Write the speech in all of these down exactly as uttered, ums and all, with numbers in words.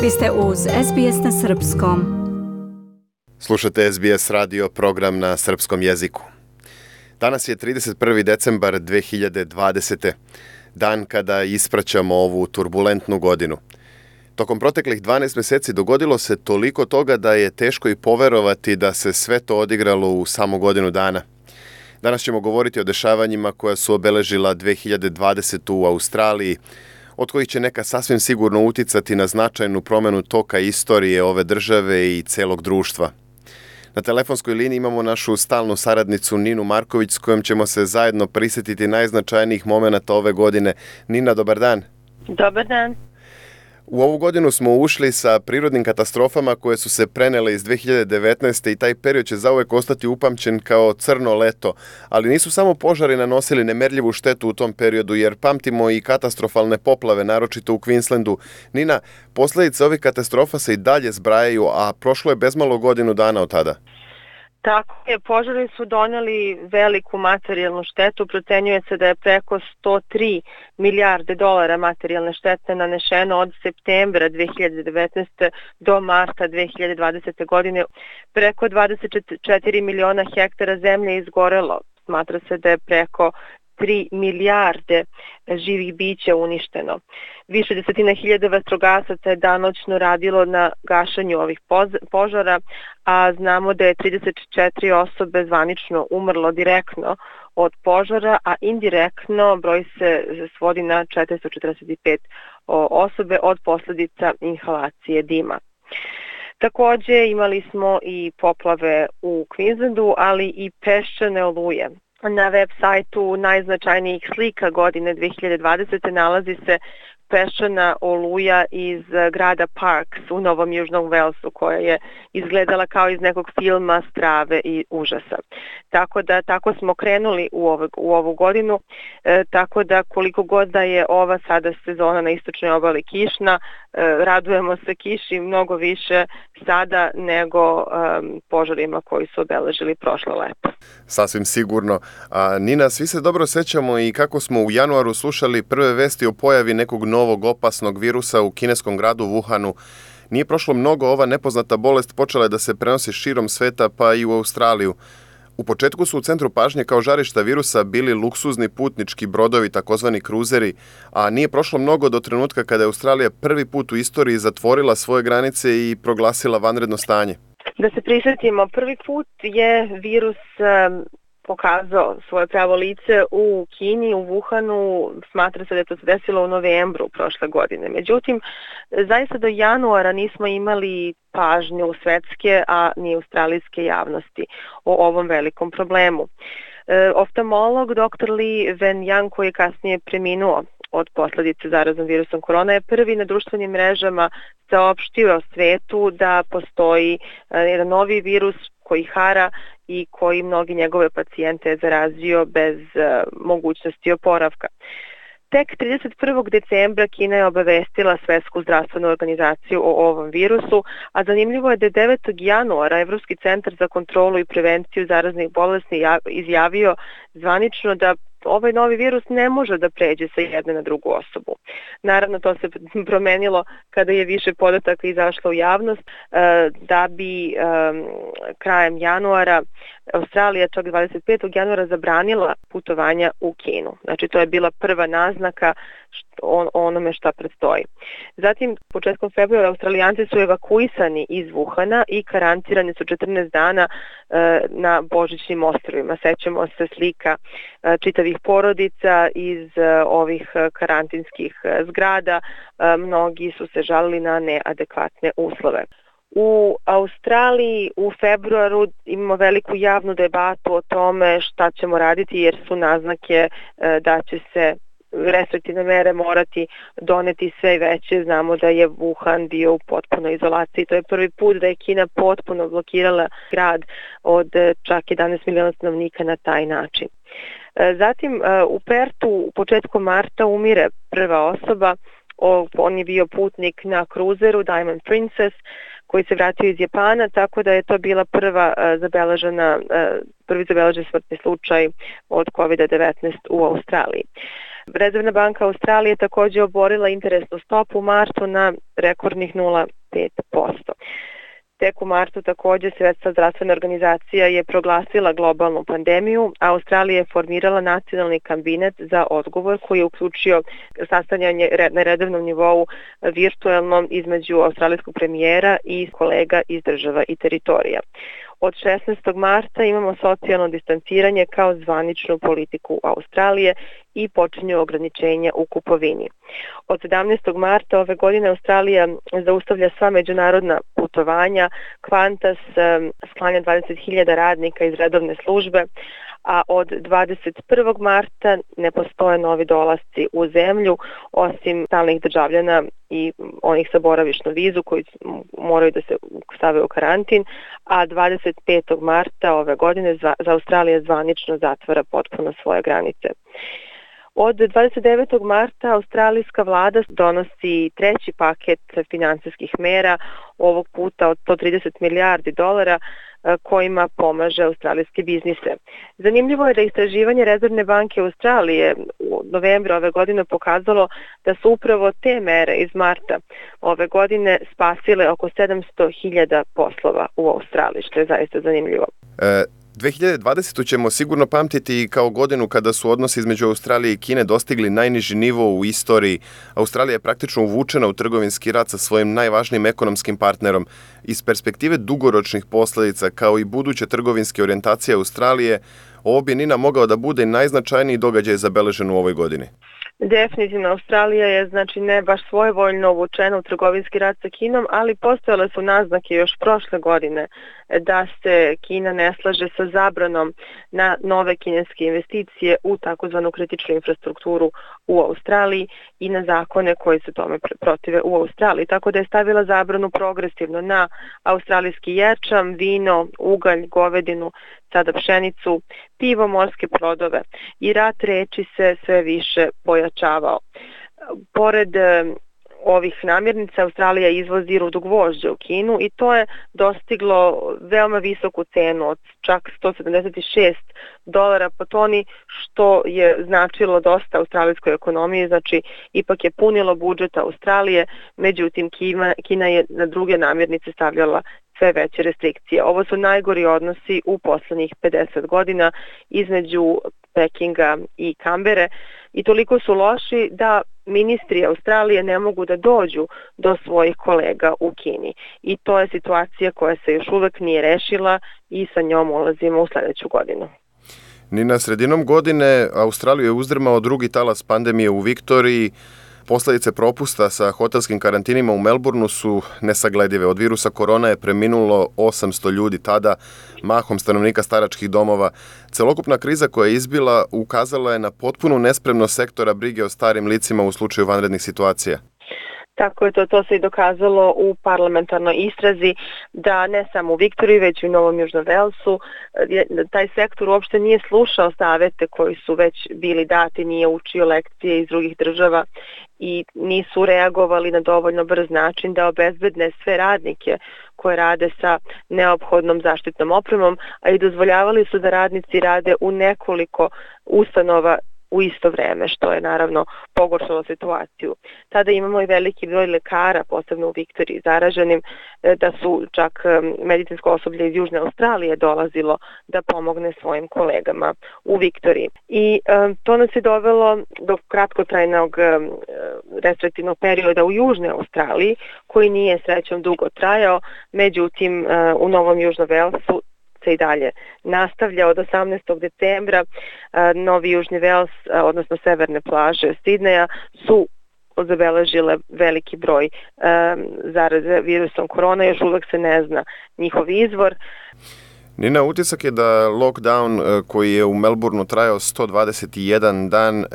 Vi ste uz S B S na srpskom. Slušate S B S radio, program na srpskom jeziku. Danas je trideset prvi decembar dve hiljade dvadesete. dan kada ispraćamo ovu turbulentnu godinu. Tokom proteklih dvanaest mjeseci dogodilo se toliko toga da je teško i poverovati da se sve to odigralo u samo godinu dana. Danas ćemo govoriti o dešavanjima koja su obeležila dve hiljade dvadesetu u Australiji, od kojih će neka sasvim sigurno uticati na značajnu promjenu toka istorije ove države i celog društva. Na telefonskoj liniji imamo našu stalnu saradnicu Ninu Marković, s kojom ćemo se zajedno prisjetiti najznačajnijih momenata ove godine. Nina, dobar dan. Dobar dan. U ovu godinu smo ušli sa prirodnim katastrofama koje su se prenele iz dve hiljade devetnaeste. i taj period će zauvek ostati upamćen kao crno leto, ali nisu samo požari nanosili nemerljivu štetu u tom periodu, jer pamtimo i katastrofalne poplave, naročito u Queenslandu. Nina, posljedice ovih katastrofa se i dalje zbrajaju, a prošlo je bezmalo godinu dana od tada. Tako je, požari su donijeli veliku materijalnu štetu, procenjuje se da je preko sto tri milijarde dolara materijalne štete nanešeno od septembra dve hiljade devetnaeste. do marta dve hiljade dvadesete. godine. Preko dvadeset četiri miliona hektara zemlje izgorelo, smatra se da je preko tri milijarde živih bića uništeno. Više desetina hiljada vatrogasaca je danoćno radilo na gašenju ovih požara, a znamo da je trideset četiri osobe zvanično umrlo direktno od požara, a indirektno broj se svodi na četiristo četrdeset pet osobe od posljedica inhalacije dima. Također imali smo i poplave u Queenslandu, ali i peščane oluje. Na web sajtu najznačajnijih slika godine dve hiljade dvadesete. nalazi se peščana oluja iz grada Parks u Novom Južnom Walesu, koja je izgledala kao iz nekog filma strave i užasa. Tako da tako smo krenuli u, ovog, u ovu godinu, e, tako da koliko god da je ova sada sezona na istočnoj obali kišna, e, radujemo se kiši mnogo više sada nego e, požarima koji su obeležili prošlo leto. Sasvim sigurno. A, Nina, svi se dobro sećamo i kako smo u januaru slušali prve vesti o pojavi nekog novog opasnog virusa u kineskom gradu Wuhanu. Nije prošlo mnogo, ova nepoznata bolest počela je da se prenosi širom sveta, pa i u Australiju. U početku su u centru pažnje kao žarišta virusa bili luksuzni putnički brodovi, takozvani kruzeri, a nije prošlo mnogo do trenutka kada je Australija prvi put u istoriji zatvorila svoje granice i proglasila vanredno stanje. Da se prisjetimo, prvi put je virus um, pokazao svoje pravo lice u Kini, u Wuhanu. Smatra se da je to se desilo u novembru prošle godine. Međutim, zaista do januara nismo imali pažnju svetske, a ni australijske javnosti o ovom velikom problemu. E, oftalmolog doktor Li Wenliang, koji je kasnije preminuo od posljedice zaraznom virusom korona, je prvi na društvenim mrežama saopštio svetu da postoji jedan novi virus koji hara i koji mnogi njegove pacijente je zarazio bez uh, mogućnosti oporavka. Tek trideset prvog decembra Kina je obavestila Svetsku zdravstvenu organizaciju o ovom virusu, a zanimljivo je da je devetog januara Evropski centar za kontrolu i prevenciju zaraznih bolesti izjavio zvanično da ovaj novi virus ne može da pređe sa jedne na drugu osobu. Naravno, to se promenilo kada je više podataka izašlo u javnost, da bi krajem januara Australija čak dvadeset petog januara zabranila putovanja u Kinu. Znači, to je bila prva naznaka on, onome šta predstoji. Zatim, početkom februara Australijanci su evakuisani iz Wuhana i karantirani su četrnaest dana e, na Božićnim ostrvima. Sećamo se slika e, čitavih porodica iz e, ovih karantinskih e, zgrada. E, mnogi su se žalili na neadekvatne uslove. U Australiji u februaru imamo veliku javnu debatu o tome šta ćemo raditi, jer su naznake e, da će se restriktivne mere morati doneti sve veće. Znamo da je Wuhan bio u potpunoj izolaciji. To je prvi put da je Kina potpuno blokirala grad od čak jedanaest miliona stanovnika na taj način. Zatim u Pertu u početku marta umire prva osoba. On je bio putnik na kruzeru Diamond Princess koji se vratio iz Japana, tako da je to bila prva zabeležena, prvi zabeležen smrtni slučaj od kovid devetnaest u Australiji. Rezervna banka Australije je također oborila interesnu stopu u martu na rekordnih nula zarez pet posto. Tek u martu također Svjetska zdravstvena organizacija je proglasila globalnu pandemiju, a Australija je formirala nacionalni kabinet za odgovor koji je uključio sastavljanje na redovnom nivou virtualno između australijskog premijera i kolega iz država i teritorija. Od šesnaestog marta imamo socijalno distanciranje kao zvaničnu politiku Australije i počinju ograničenja u kupovini. Od sedamnaestog marta ove godine Australija zaustavlja sva međunarodna putovanja, Qantas sklanja dvadeset hiljada radnika iz redovne službe, a od dvadeset prvog marta ne postoje novi dolasci u zemlju, osim stalnih državljana i onih sa boravišnom vizu koji moraju da se stave u karantin, a dvadeset petog marta ove godine za Australija zvanično zatvara potpuno svoje granice. Od dvadeset devetog marta australijska vlada donosi treći paket finansijskih mera, ovog puta od sto trideset milijardi dolara, kojima pomaže australijske biznise. Zanimljivo je da istraživanje Rezervne banke Australije u novembru ove godine pokazalo da su upravo te mere iz marta ove godine spasile oko sedamsto hiljada poslova u Australiji, što je zaista zanimljivo. E... dve hiljade dvadesete. ćemo sigurno pamtiti kao godinu kada su odnosi između Australije i Kine dostigli najniži nivo u istoriji. Australija je praktično uvučena u trgovinski rat sa svojim najvažnijim ekonomskim partnerom. Iz perspektive dugoročnih posljedica, kao i buduće trgovinske orijentacije Australije, ovo bi, Nina, mogao da bude najznačajniji događaj zabeležen u ovoj godini. Definitivno, Australija je znači ne baš svojevoljno uvučena u trgovinski rat sa Kinom, ali postojale su naznake još prošle godine da se Kina ne slaže sa zabranom na nove kineske investicije u takozvanu kritičnu infrastrukturu u Australiji i na zakone koji se tome protive u Australiji. Tako da je stavila zabranu progresivno na australijski ječam, vino, ugalj, govedinu, sada pšenicu, pivo, morske plodove i rat reči se sve više pojačavao. Pored ovih namirnica Australija izvozi rudo gvožđa u Kinu i to je dostiglo veoma visoku cenu od čak sto sedamdeset šest dolara po toni, što je značilo dosta australijskoj ekonomiji, znači ipak je punilo budžet Australije, međutim Kina, Kina je na druge namirnice stavljala sve veće restrikcije. Ovo su najgori odnosi u poslednjih pedeset godina između Pekinga i Kambere i toliko su loši da ministri Australije ne mogu da dođu do svojih kolega u Kini. I to je situacija koja se još uvek nije rešila i sa njom ulazimo u sledeću godinu. Nina, sredinom godine Australiju je uzdrmao drugi talas pandemije u Viktoriji. Posledice propusta sa hotelskim karantinima u Melbourneu su nesagledive. Od virusa korona je preminulo osamsto ljudi tada, mahom stanovnika staračkih domova. Celokupna kriza koja je izbila ukazala je na potpunu nespremnost sektora brige o starim licima u slučaju vanrednih situacija. Tako je to, to se i dokazalo u parlamentarnoj istrazi da ne samo u Viktoriji, već i u Novom Južnom Velsu, taj sektor uopšte nije slušao savete koji su već bili dati, nije učio lekcije iz drugih država i nisu reagovali na dovoljno brz način da obezbedne sve radnike koje rade sa neophodnom zaštitnom opremom, a i dozvoljavali su da radnici rade u nekoliko ustanova u isto vreme, što je naravno pogoršalo situaciju. Tada imamo i veliki broj lekara, posebno u Viktoriji, zaraženim, da su čak medicinsko osoblje iz Južne Australije dolazilo da pomogne svojim kolegama u Viktoriji. I e, to nas je dovelo do kratkotrajnog e, restriktivnog perioda u Južnoj Australiji, koji nije srećom dugo trajao, međutim e, u Novom Južnom Velsu se i dalje nastavlja. Od osamnaestog decembra Novi Južni Vels, odnosno severne plaže Sidneja, su zabeležile veliki broj zaraze virusom korona, još uvek se ne zna njihov izvor. Nina, utisak je da lockdown koji je u Melbourneu trajao sto dvadeset jedan dan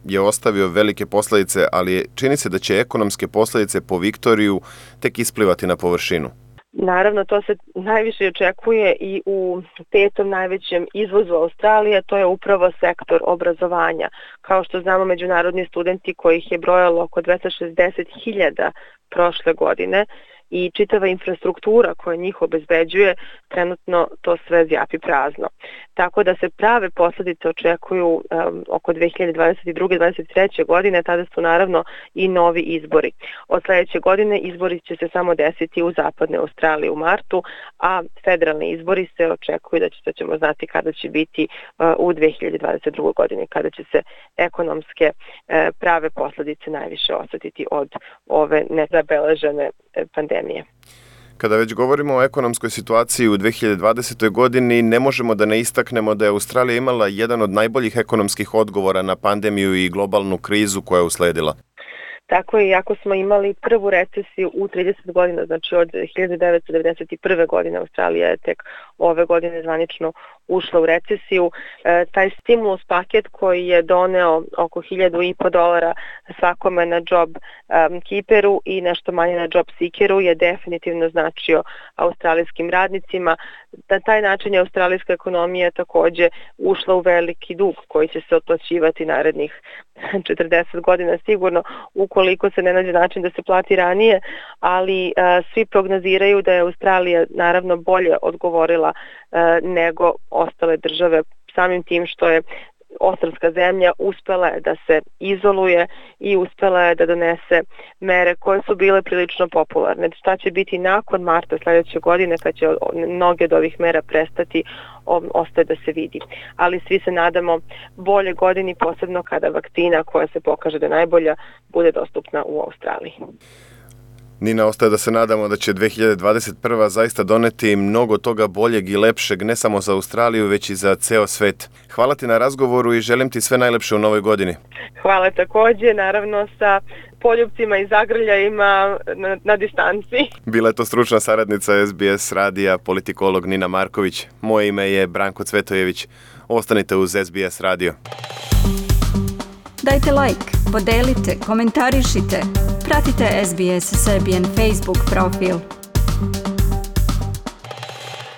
je ostavio velike posledice, ali čini se da će ekonomske posledice po Viktoriju tek isplivati na površinu. Naravno, to se najviše očekuje i u petom najvećem izvozu Australije, to je upravo sektor obrazovanja. Kao što znamo, međunarodni studenti kojih je brojalo oko dvesta šezdeset hiljada prošle godine i čitava infrastruktura koja njih obezbeđuje, trenutno to sve zjapi prazno. tako da se prave posljedice očekuju um, oko dve hiljade dvadeset druge. dvadeset treće. godine, tada su naravno i novi izbori. Od sljedeće godine izbori će se samo desiti u zapadnoj Australiji u martu, a federalni izbori se očekuju da, će, da ćemo znati kada će biti uh, u dve hiljade dvadeset drugoj. godine, kada će se ekonomske uh, prave posljedice najviše osjetiti od ove nezabeležene uh, pandemije. Kada već govorimo o ekonomskoj situaciji u dve hiljade dvadesetoj. godini, ne možemo da ne istaknemo da je Australija imala jedan od najboljih ekonomskih odgovora na pandemiju i globalnu krizu koja je usledila. Tako je, iako smo imali prvu recesiju u trideset godina, znači od hiljadu devetsto devedeset prve. godine, Australija je tek ove godine zvanično ušla u recesiju. E, taj stimulus paket koji je doneo oko hiljadu i po dolara svakome na job um, keeperu i nešto manje na job seekeru je definitivno značio australijskim radnicima. Na taj način je australijska ekonomija također ušla u veliki dug koji će se otplaćivati narednih četrdeset godina sigurno, ukoliko se ne nađe način da se plati ranije, ali a, svi prognoziraju da je Australija naravno bolje odgovorila a, nego ostale države, samim tim što je ostrvska zemlja uspela je da se izoluje i uspela je da donese mere koje su bile prilično popularne. Šta će biti nakon marta sljedeće godine kad će mnoge od ovih mera prestati, ostaje da se vidi. Ali svi se nadamo bolje godini, posebno kada vakcina koja se pokaže da je najbolja bude dostupna u Australiji. Nina, ostaje da se nadamo da će dve hiljade dvadeset prva. zaista doneti mnogo toga boljeg i lepšeg, ne samo za Australiju, već i za ceo svet. Hvala ti na razgovoru i želim ti sve najlepše u novoj godini. Hvala također, naravno sa poljupcima i zagrljajima na, na distanci. Bila je to stručna saradnica S B S radija, politikolog Nina Marković. Moje ime je Branko Cvetojević. Ostanite uz S B S radio. Dajte like, podelite, komentarišite. Pratite S B S Serbian Facebook profil.